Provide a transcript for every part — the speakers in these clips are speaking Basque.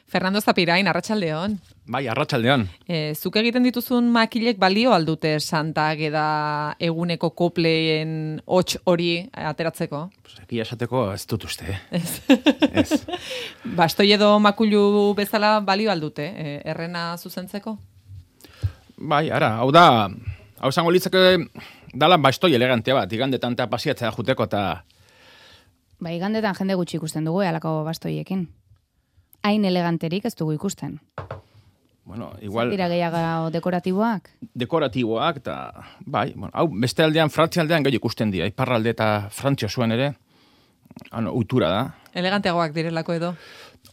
Fernando Zapirain, arratsaldeon. Bai, arratsaldeon. Zuk egiten dituzun makilek balio aldute Santa Ageda eguneko kopleen hots hori ateratzeko? Egia esateko ez dut uste. Ez. Bastoi edo makulu bezala balio aldute, errena zuzentzeko? Bai, hau zango litzake dala bastoi elegantea bat, igandetan eta pasiatzea juteko eta... Ba, igandetan jende gutxi ikusten dugu, alako bastoiekin. Hain eleganterik ez dugu ikusten. Bueno, igual... Dira gehiago dekoratiboak? Dekoratiboak, eta... Bai, bueno, hau, beste aldean, Frantzia aldean gehi ikusten dira. Iparralde eta Frantzia zuen ere, ohitura da. Eleganteagoak direlako edo?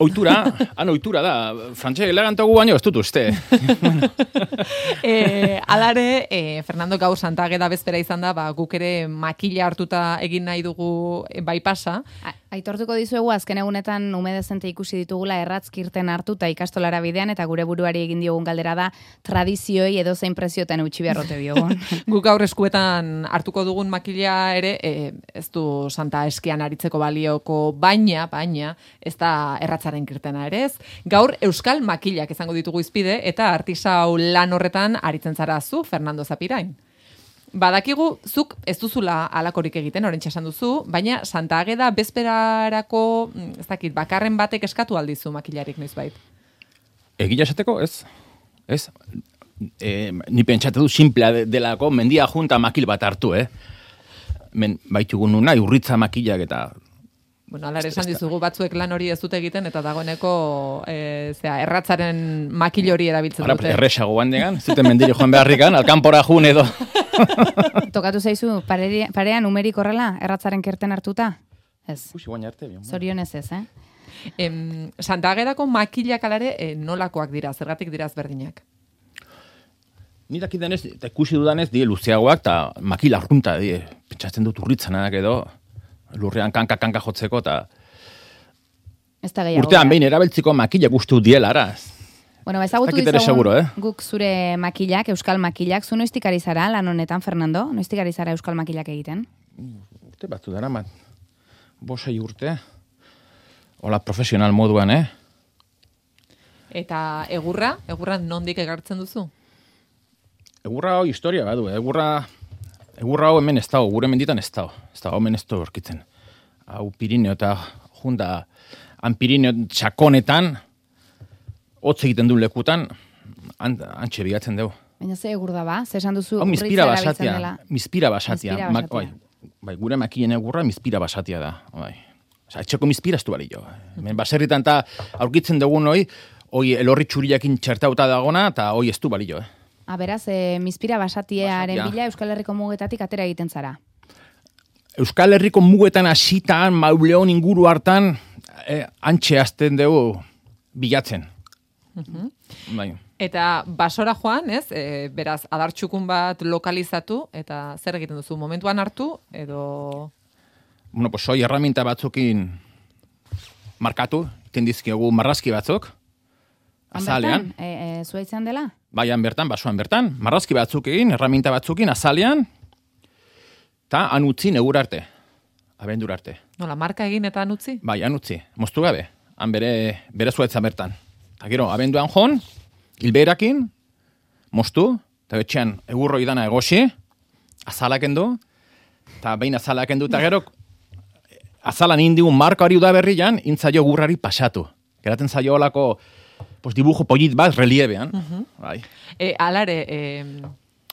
Ohitura da. Frantzia eleganteago baino ez dut uste. Alare, Fernando gaur Santa Ageda bezpera izan da, guk ere makila hartuta egin nahi dugu bai pasa. Aitortuko dizuegu azken egunetan umedezente ikusi ditugula erratzkirten hartuta ikastolara bidean, eta gure buruari egin diogun galdera da tradizioei edo zein preziotan eutxi beharrote diogun. Guk gaur eskuetan hartuko dugun makila ere, ez du Santa Eskian aritzeko balioko, baina ez da erratzaren kirtena ere ez. Gaur euskal makilak izango ditugu izpide, eta artisau lan horretan aritzen zara zu, Fernando Zapirain. Badakigu, zuk ez duzula alakorik egiten, orentxe esan duzu, baina Santa Ageda bezperarako, ez dakit, bakarren batek eskatu aldizu makilarik noizbait? Egia esateko, ez. Ni pentsatu du simplea delako mendia junta makil bat hartu, baitugu nuna, urritza makilak eta... Bueno, alare esan dizugu batzuek lan hori ez dute egiten, eta dagoeneko erratzaren makil hori erabiltzen dute. Erresago bandegan, zuten mendiri joan beharrikan, alkanpora jun edo... Tokatu zaizu, parean numerik horrela, erratzaren kerten hartuta? Ez. Zorionez ez, Santa Agedako makilak alare nolakoak dira, zergatik dira ezberdinak? Nirak idenez, eta ikusi dudanez, die luzeagoak, eta makila arrunta, pentsatzen dut urritzanak edo, lurrean kanka jotzeko, eta... Ez da gehiago. Urtean behin erabiltziko makilak ustu diela, araz. Bueno, ezagutu dizagun guk zure makilak, euskal makilak. Zu noiztik ari zara lan honetan, Fernando? Noiztik ari zara euskal makilak egiten? Urte batzu dara, 5 urte. Hola, profesional moduan, Eta egurra nondik egartzen duzu? Egurra hau historia badu, egurra hau hemen ez dago, gure menditan ez dago. Ez dago, hemen ez dago orkitzen. Hau Pirineo eta junda, han Pirineo txakonetan, hotz egiten du lekutan, antxe bigatzen dugu. Baina ze egur da ba? Ze esan duzu urritza erabiltzen dela? Mizpira basatia. Bai, gure makien egurra mizpira basatia da. Bai. Osa, etxeko mizpira ez du bari jo. Hemen baserritan eta aurkitzen dugun hoi elorri txuriakin txertauta dagona, eta hoi ez du bari jo. Beraz, mizpira basatiaren bila Euskal Herriko mugetatik atera egiten zara. Euskal Herriko mugetan hasitan, Mauleon inguru hartan, antxe azten dugu bilatzen. Bai. Eta basora joan, ez? Beraz, adartxukun bat lokalizatu, eta zer egiten duzu? Momentuan hartu, edo... Bueno, pues hoi herramienta batzukin markatu, tendizkiogu marrazki batzuk, azalean. Zua izan dela? Baian bertan, basoan bertan, marrazki batzukin, herramienta batzukin, azalean, eta anutzi negur arte, abendur arte. Nola, marka egin eta anutzi? Bai, anutzi, moztu gabe, han bere zuetza bertan. Eta gero, abenduan joan, hilberakin, moztu, eta betxean egurroi dana egosi, azalaken du, eta behin azalaken du, eta gero, azalan indigun marka hori udaberrian, intzaio egurrari pasatu. Geraten zaio olako, dibujo pollit bat, reliebean. Bai. Alare,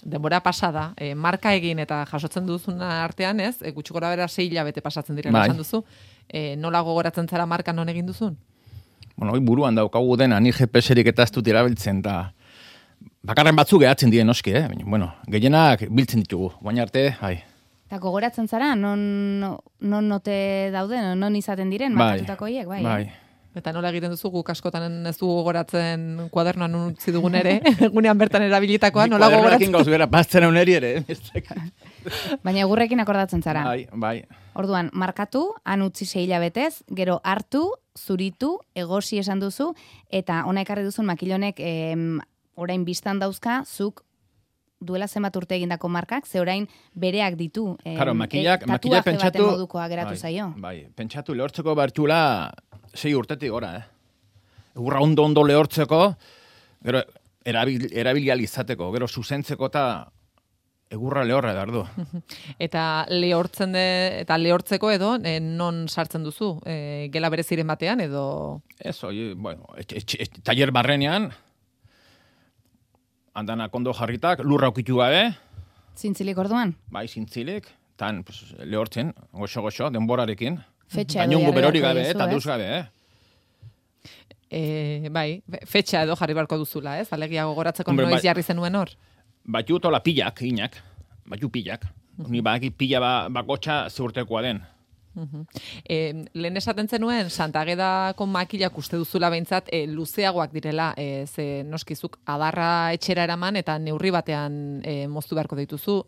denbora pasada, marka egin eta jasotzen duzuna artean, ez? Gutxi gora bera 6 hilabete pasatzen dira, esan duzu. Nola gogoratzen zara marka non egin duzun? Bueno, buruan daukagu dena, ni GPS-erik eta ez dut erabiltzen, eta bakarren batzuk gehatzen dien noski, Bueno, gehienak biltzen ditugu, baina arte, Eta gogoratzen zara, non note dauden, non izaten diren, markatutako hiek, bai. Eta nola egiten duzu, guk askotan ez dugu gogoratzen kuadernoan utzi dugun ere, egunean bertan erabilitakoa, nola gogoratzen? Kuadernoekin gauz bera, pastzen uneri ere. Baina egurrekin akordatzen zara. Bai. Orduan, markatu, han utzi 6 hilabetez, gero hartu, zuritu, egosi esan duzu, eta ona ekarri duzun makilonek orain biztan dauzka, zuk duela zenbat urte egindako markak, ze orain bereak ditu. Makilak tatuaje pentsatu... baten modukoa geratu zaio. Bai, pentsatu lehortzeko bertxula 6 urtetik gora, egurra ondo lehortzeko, gero erabilial izateko, gero zuzentzeko eta egurra lehorra edar du. Eta lehortzeko edo, non sartzen duzu? Gela bereziren batean edo? Ez, bueno, taller barrenean, andanak ondo jarritak, lurra ukitu gabe. Zintzilik orduan? Bai, zintzilik, tan lehortzen, goxo, denborarekin. Fetxa edo jarri berori beharko gabe, duzu, eta ez? duz gabe, Bai, fetxa edo jarri barko duzula, ez? Alegia gogoratzeko Hombre, noiz bai. jarri zenuen hor? Batu tola pillak, inak. Batu pillak. Ni badaki pilla bakotxa zeurtekoa den. Lehen esaten zenuen, Santagedako makilak uste duzula behintzat luzeagoak direla, ze noskizuk adarra etxera eraman eta neurri batean moztu beharko dituzu.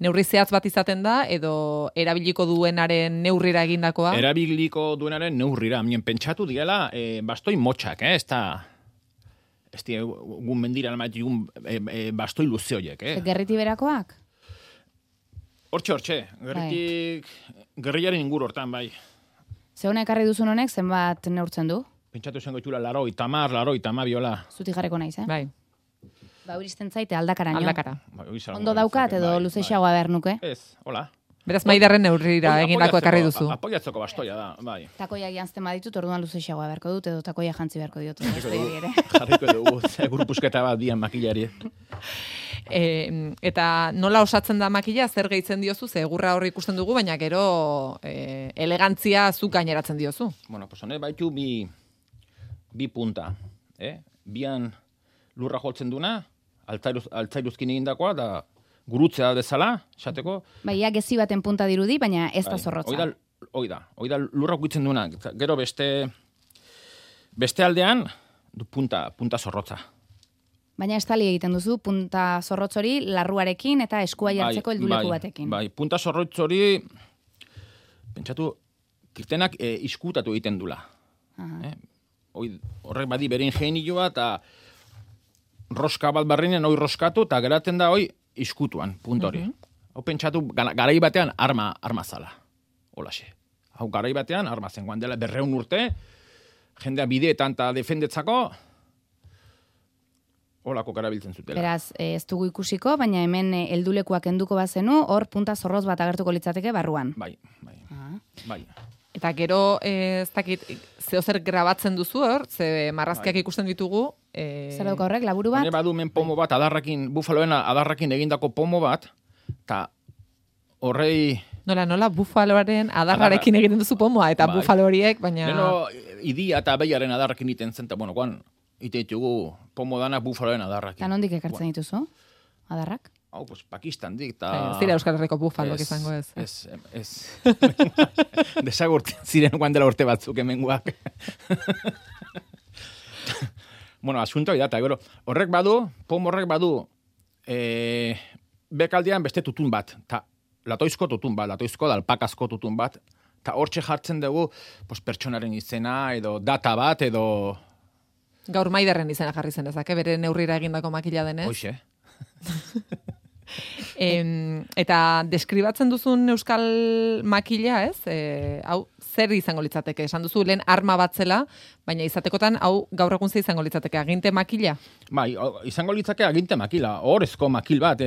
Neurri zehatz bat izaten da, edo erabiliko duenaren neurrira egindakoa? Erabiliko duenaren neurrira. Mien pentsatu direla, bastoi motxak, ez da... Ez dira, gun mendira, bastoi luze horiek, Gerriti berakoak? Hortxe, gerriaren inguru hortan, bai. Zeuna ekarri duzun honek, zenbat neurtzen du? Pentsatu zen goitula, laroi, tama biola. Zutik jarreko naiz, eh? Bai, Ba, uristen zaite aldakaraino. aldakara. Ondo daukat edo luzeixagoa behar nuke? Ez, hola. Beraz, Maiderren neurrira egindako ekarri duzu. Apoiatzeko bastoia da, bai. Takoiak jantzten baditut, orduan luzeixagoa beharko dut, edo takoia jantzi beharko diot. Jarriko dugu, grupusketa bat dian makilari. Eta nola osatzen da makila, zer gehitzen diozu, ze egurra horri ikusten dugu, baina gero elegantzia zuk gaineratzen diozu. Bueno, pues honek baitu bi punta. Bian lurra joltzen duna, altzairuzkin egindakoa, da gurutzea bezala, esateko. Bai, gezi baten punta dirudi, baina ez da zorrotza. Hoi da lurra ukitzen duna. Gero beste aldean, du punta zorrotza. Baina estali egiten duzu, punta zorrotz hori larruarekin eta eskua jartzeko helduleku batekin. Bai, punta zorrotz hori, pentsatu, kirtenak iskutatu egiten dula. Horrek badi bere ingenioa eta roska bat barrinen hoi roskatu eta geratzen da hoi iskutuan, punta hori. Hau pentsatu, garai batean arma zala. Holaxe. Hau garai batean arma zen, guan dela 200 urte, jendea bideetan eta defendetzako, holako karabiltzen zutela. Beraz, ez dugu ikusiko, baina hemen heldulekuak enduko bazenu, hor punta zorroz bat agertuko litzateke barruan. Bai. Eta gero, ez dakit, zeozer grabatzen duzu hor, ze marrazkiak ikusten ditugu. Zer dauka horrek, laburu bat? Hone badu men pomo bat, bufaloen adarrakin egindako pomo bat, eta horrei... Nola, bufaloaren adarrarekin egiten duzu pomoa, eta bufalo horiek, baina... Neno, idia eta behiaren adarrakin iten zen, eta bueno, guan, ite ditugu pomo dana bufaloen adarrakin. Eta nondik ekartzen dituzu, adarrak? Hau, pues, Pakistan dik, eta... Zira Euskal Herriko bufalok izango ez. Ez. Desagurten ziren guan dela urte batzuk hemenguak. Bueno, asuntoa da, eta gero, pomo horrek badu, bekaldean beste tutun bat, eta latoizko da alpakazko tutun bat, eta hortxe jartzen dugu pertsonaren izena, edo data bat, edo... Gaur Maiderren izena jarri zen ezak, bere neurrira egindako makila denez. Hoxe. Eta deskribatzen duzun euskal makila, ez? Hau, zer izango litzateke? Esan duzu, lehen arma bat zela, baina izatekotan, hau, gaur egun ze izango litzateke? Aginte makila? Bai, izango litzake aginte makila, horrezko makil bat,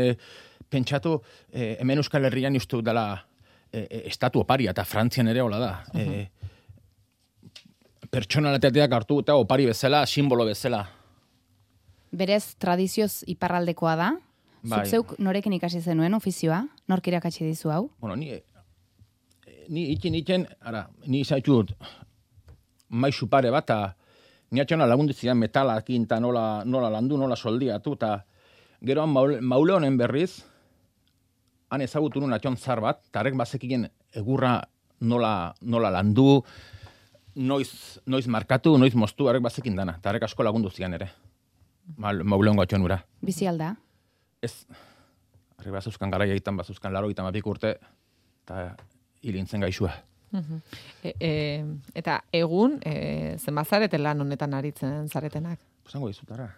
pentsatu, hemen Euskal Herrian uste dela estatu oparia, eta Frantzian ere hola da. Pertsonalitateak hartu eta opari bezala, simbolo bezala. Berez, tradizioz iparraldekoa da? Bai. Zuk zeuk norekin ikasi zenuen ofizioa? Nork irakatsi dizu hau? Bueno, ni ikin, ni izaitu dut maizu pare bat, ni atxona lagundizian metalakin eta nola landu, nola soldiatu, eta gero maule honen berriz, han ezagutu nun atxon zar bat, eta harrek bazekien egurra nola landu, noiz markatu, noiz moztu, harrek bazekin dana, eta harrek asko lagundu zian ere. Maule hongo atxon ura. Bizi alda? Ez, harri bazuzkan garaia egiten, bazuzkan 82 urte, eta hilintzen gaixua. Eta egun, zenbazarete lan honetan aritzen zaretenak? Zango dizutara.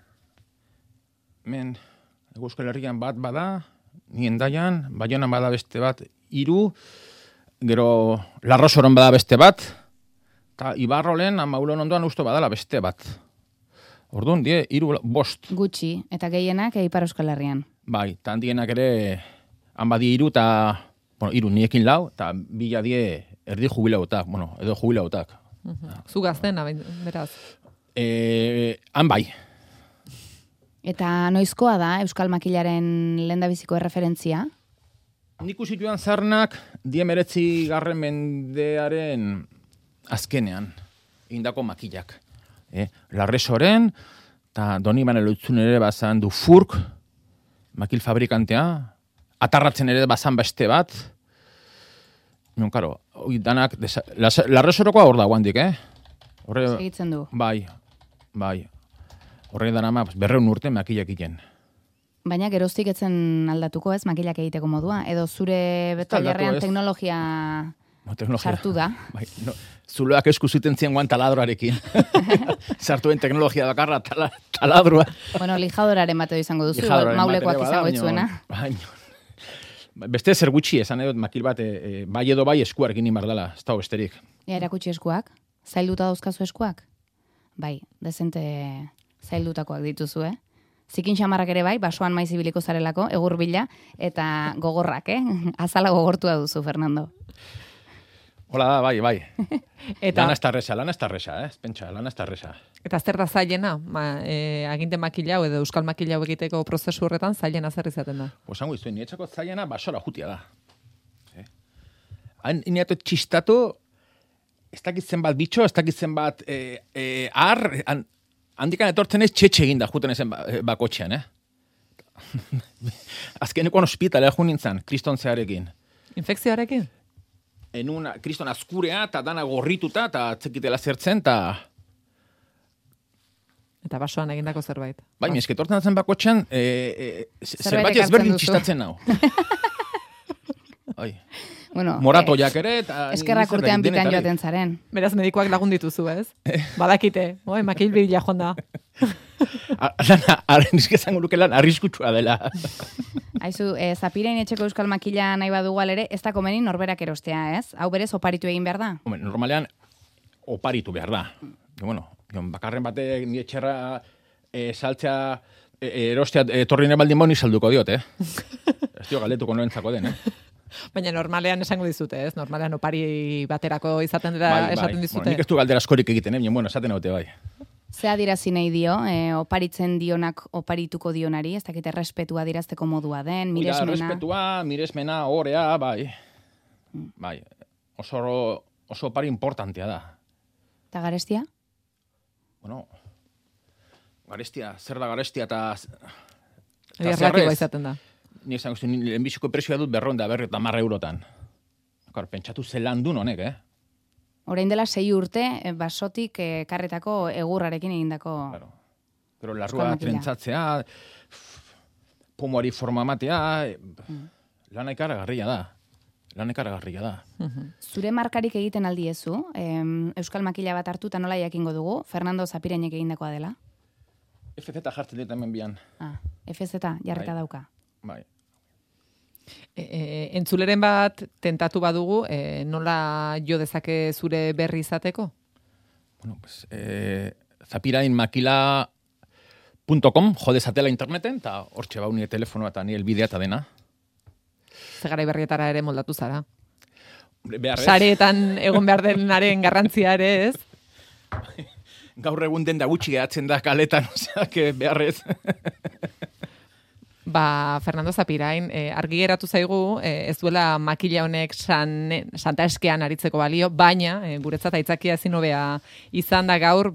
Hemen, Euskal Herrian bat bada, ni Hendaian, Baionan bada beste bat 3, gero Larrosoron bada beste bat, eta Ibarrolen amaulon ondoan usto badala beste bat. Orduan, 5 Gutxi, eta gehienak Ipar Euskal Herrian. Bai, eta handienak ere, han badi 3 eta, bueno, 3 niekin 4, eta 2 erdi jubilautak, bueno, edo jubilautak. Zu gaztena, beraz. Han bai. Eta noizkoa da Euskal Makilaren lehendabiziko erreferentzia? Nik usituan zarnak 19. mendearen azkenean, indako makilak. Larresoren, eta Doni Baneloitzun ere bazan du Furk, makil fabrikantea, atarratzen ere bazan beste bat. Non, karo, danak, Larresorokoa hor da guandik, Segitzen du. Bai. Horre dara 200 urte makilak egiten. Baina geroztik etzen aldatuko ez makilak egiteko modua? Edo zure betailerrean teknologia sartu da? Bai, no, zuloak esku zuten zien guan taladroarekin. Sartuen teknologia bakarra taladroa. Bueno, lijadoraren bateo izango duzu, maulekoak izango itzuena. Beste zer gutxi, esan edot makil bat, bai edo bai eskuarekin inbardala, ez da besterik. Erakutsi eskuak? Zailduta dauzkazu eskuak? Bai, dezente zaildutakoak dituzu, Zikin xamarrak ere bai, basoan maiz ibiliko zarelako, egur bila, eta gogorrak, Azala gogortua duzu, Fernando. Hola da, bai. Eta, lana estarresa, pentsa, lana estarresa. Eta zer da zailena? Aginte makila edo euskal makila egiteko prozesu horretan zailena zer izaten da? Pues hango izuen, niretzako zailena basora jutia da. Hain iniatu txistatu, ez dakitzen bat bitxo, ez dakitzen bat handikan etortzen ez txetxe eginda juten ezen bakotxean, Azkeneko ospitalea jo nintzen, kristontzearekin. Infekzioarekin? Kriston azkurea, eta dana gorrituta, eta atzekitela zertzen, eta... Eta basoan egindako zerbait. Bai, esketortzen zen bakotxean, zerbait ezberdin txistatzen nau. Bueno, moratoiak ere, eta... Eskerrak urtean bitan joaten zaren. Beraz, medikoak lagun dituzu, ez? Badakite, makil bila jonda. Nizkezango luke lan arriskutsua dela. Aizu, Zapirein etxeko euskal makila nahi badugu ere, ez da komeni norberak erostea, ez? Hau berez oparitu egin behar da? Hombre, normalean oparitu behar da. Bueno, bakarren batek ni etxerra saltzea erostea etorri nebaldin boni salduko diot, Ez dio galdetuko noentzako den, Baina normalean esango dizute, ez? Normalean opari baterako izaten dira esaten dizute. Bueno, nik ez du galdera askorik egiten, bueno, esaten haute bai. Ze adirazi nahi dio, oparitzen dionak oparituko dionari, ez dakite respetua dirazteko modua den, miresmena. Respetua, miresmena, orea, bai. Bai, oso opari importantea da. Eta garestia? Bueno, garestia, zer da garestia eta... Erlatiboa izaten da. Ni esan guzti, lehenbiziko presioa dut 250 eurotan. Pentsatu zelan dun honek, Orain dela 6 urte, basotik karretako egurrarekin egindako... Claro. Pero larrua trentzatzea, pomoari forma matea, lan ikaragarria da. Zure markarik egiten aldiezu, euskal makila bat hartu eta nola jakingo dugu, Fernando Zapirenek egindakoa dela? FZ jartzen dit hemen bian. FZ jarrita dauka. Bai. Entzuleren bat tentatu badugu, nola jo dezake zure berri izateko? Bueno, pues, zapirainmakila.com jo dezatela interneten, eta hortxe bau nire telefonoa eta nire elbidea eta dena. Zegarai berrietara ere moldatu zara. Sareetan egon behar denaren garrantzia ere, ez? Gaur egun den da gutxi gehatzen da kaletan, oseak beharrez. Fernando Zapirain, argi geratu zaigu, ez duela makila honek Santa Eskean aritzeko balio, baina guretzat aitzakia ezin hobea izan da gaur,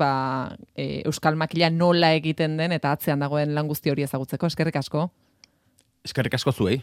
euskal makila nola egiten den eta atzean dagoen lan guzti hori ezagutzeko. Eskerrik asko. Eskerrik asko zuei.